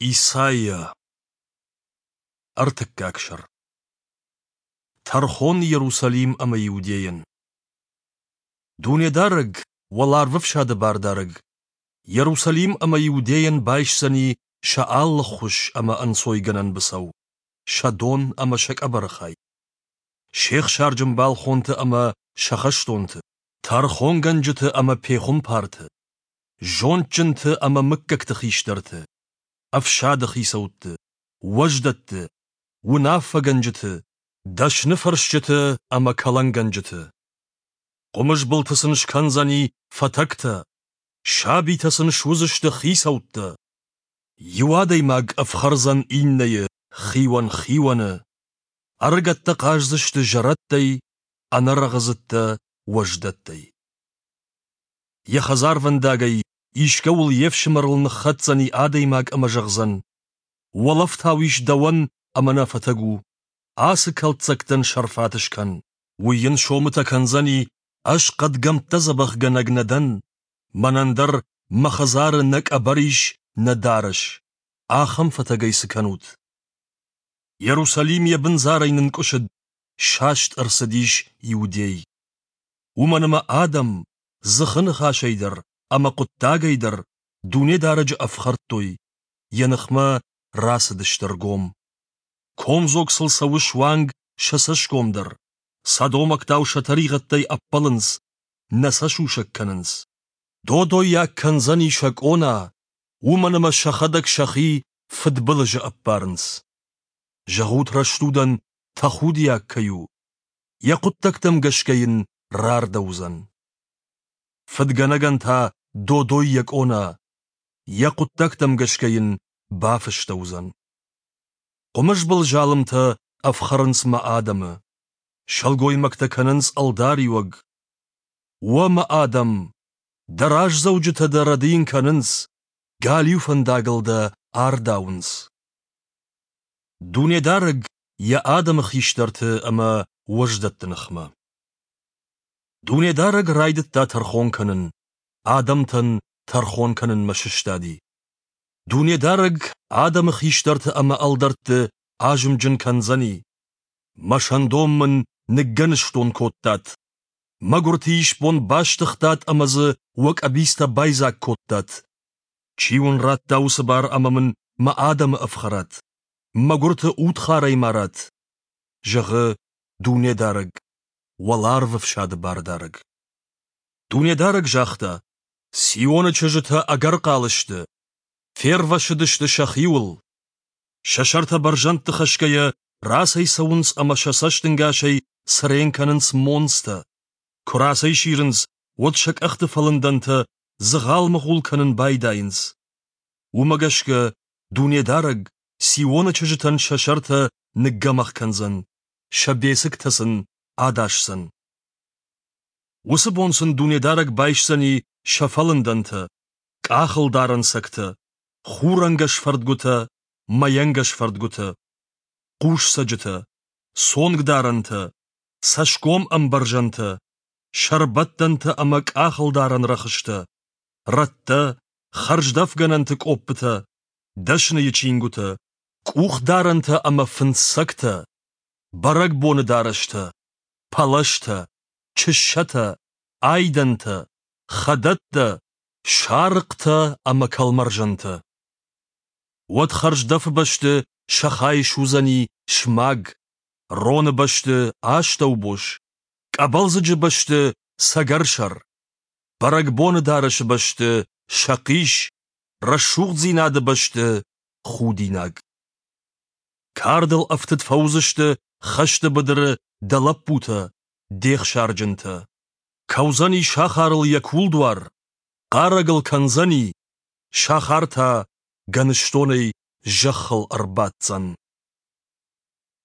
Исайа. Ӕртыккаг сӕр. Тӕрхон Иерусалим ӕмӕ Иудейӕн. Дунедарӕг, Уӕларвӕфсады Бардарӕг, Иерусалим ӕмӕ Иудейӕн байсдзӕни сӕ алы ххуыс ӕмӕ ӕнцойгӕнӕн быцӕу, сӕ дон ӕмӕ сӕ къӕбӕры хай. Се хсарджын балхонты ӕмӕ сӕ хӕстонты, тӕрхонгӕнджыты ӕмӕ пехуымпарты, зондджынты ӕмӕ мыггӕгты хистӕрты, ӕфсады хицӕутты, уӕздӕтты, уынаффӕгӕнджыты, дӕсныфӕрсджыты ӕмӕ кӕлӕнгӕнджыты. Хъуымызбылты сын скӕндзӕни фӕтӕгтӕ, сабитӕ сын суыдзысты хицӕуттӕ. Иу адӕймаг ӕфхӕрдзӕн иннӕйы, хиуӕн хионы. Ӕрыгӕттӕ хъаздзысты зӕрӕдтӕй, ӕнӕрӕгъыдзыдтӕ уӕздӕттӕй. Йӕ хӕдзарвӕндагӕй искӕуыл йе фсымӕрыл ныххӕцдзӕни адӕймаг ӕмӕ зӕгъдзӕн: «Уӕлӕфтау ис дӕуӕн ӕмӕ нӕ фӕтӕг у, ацы кӕлддзӕгтӕн сӕрфат скӕн». Уый йын сомытӕ кӕндзӕни: «Ӕз хъӕдгӕмттӕ дзӕбӕхгӕнӕг нӕ дӕн, мӕнӕн дӕр мӕ хӕдзары нӕ къӕбӕр ис, нӕ дарӕс. Ахӕм фӕтӕгӕй цы кӕнут?» Иерусалим йӕ бындзарӕй нынкъуысыд, саст ӕрцыдис Иудей. Уымӕн ӕмӕ адӕм, дзыхы ныхасӕй дӕр ӕмӕ хъуыддагӕй дӕр Дунедарӕджы ӕфхӕрдтой, йӕ ныхмӕ рацыдысты ргом. Комдзог сыл цӕуы суанг сӕ цӕсгом дӕр, содомӕгтау сӕ тӕригъӕдтӕй ӕппӕлынц, нӕ сӕ сусӕг кӕнынц. Додоййаг кӕндзӕни сӕ къона, уымӕн ӕмӕ сӕхӕдӕг сӕхи фыдбылызы ӕппарынц. Зӕгъут рӕстудӕн, тӕхудиаг кӕй у, йӕ хъуыддӕгтӕм гӕсгӕ йын рардӕуыдзӕн. Фыдгӕнӕгӕн та додой йӕ къона, йӕ хъуыддӕгтӕм гӕсгӕ йын бафыстӕуыдзӕн. Хъуымызбыл залымтӕ ӕфхӕрынц мӕ адӕмы, сылгоймӕгтӕ кӕнынц ӕлдариуӕг. Уӕ мӕ адӕм, дӕ раздзӕуджытӕ дӕ рӕдийын кӕнынц, галиу фӕндагыл дӕ ардауынц. Дунедарӕг йӕ адӕмы хистӕрты ӕмӕ уӕздӕтты ныхмӕ. Дунедарӕг райдыдта тӕрхон кӕнын, адӕмтӕн тӕрхон кӕнынмӕ сыстади. Дунедарӕг адӕмы хистӕрты ӕмӕ ӕлдӕртты азымджын кӕндзӕни. Мӕ сӕндон мын ныггӕныстон кодтат, мӕгуырты исбон бастыгътат ӕмӕ дзы уӕ къӕбицтӕ байдзаг кодтат. Чи уын радта уыцы бар ӕмӕ мын мӕ адӕмы ӕфхӕрат, мӕгуырты удхарӕй марат? Зӕгъы Дунедарӕг, уӕларвӕфсады Бардарӕг. Дунедарӕг загъта: Сионы чызджытӕ ӕгӕр хъал сты, фервӕссыдысты сӕхиуыл. Сӕ сӕртӕ бӕрзӕндты хӕсгӕйӕ рацӕйцӕуынц ӕмӕ сӕ цӕстӕнгасӕй цырен кӕнынц монцтӕ. Куы рацӕйсирынц, уӕд сӕ къӕхты фӕлындӕнтӕ дзыгъал-мыгъул кӕнын байдайынц. Уымӕ гӕсгӕ Дунедарӕг Сионы чызджытӕн сӕ сӕртӕ ныггӕмӕх кӕндзӕн, сӕ бецыктӕ сын адасдзӕн. Уыцы бон сын Дунедарӕг байсдзӕни сӕ фӕлындӕнтӕ, къахылдарӕн цӕгтӕ, хурӕнгӕс фӕрдгуытӕ, мӕйӕнгӕс фӕрдгуытӕ, хъусцӕджытӕ, цонгдарӕнтӕ, цӕсгом ӕмбӕрзӕнтӕ, сӕрбӕттӕнтӕ ӕмӕ къахылдарӕн рӕхыстӕ, рӕттӕ, хӕрздӕфгӕнӕнты къоппытӕ, дӕсныйы чингуытӕ, къухдарӕнтӕ ӕмӕ фындзцӕгтӕ, бӕрӕгбоны дарӕстӕ, пӕлӕзтӕ, чыссӕтӕ, айдӕнтӕ, хӕдӕттӕ, сарыхътӕ ӕмӕ кӕлмӕрзӕнтӕ. Уӕд хӕрздӕфы бӕсты сӕ хай суыдзӕни смаг, роны бӕсты астӕубос, къӕбӕлдзыджы бӕсты цӕгӕрсӕр, бӕрӕгбоны дарӕсы бӕсты сӕхъис, рӕсугъддзинады бӕсты худинаг. Кардыл ӕфтыд фӕуыдзысты хӕсты быдыры дӕ лӕппутӕ, де хсарджынтӕ. Кӕудзӕни сахарыл йӕ кулдуар, хъарӕг ыл кӕндзӕни, сахар та гӕныстонӕй зӕххыл ӕрбаддзӕн.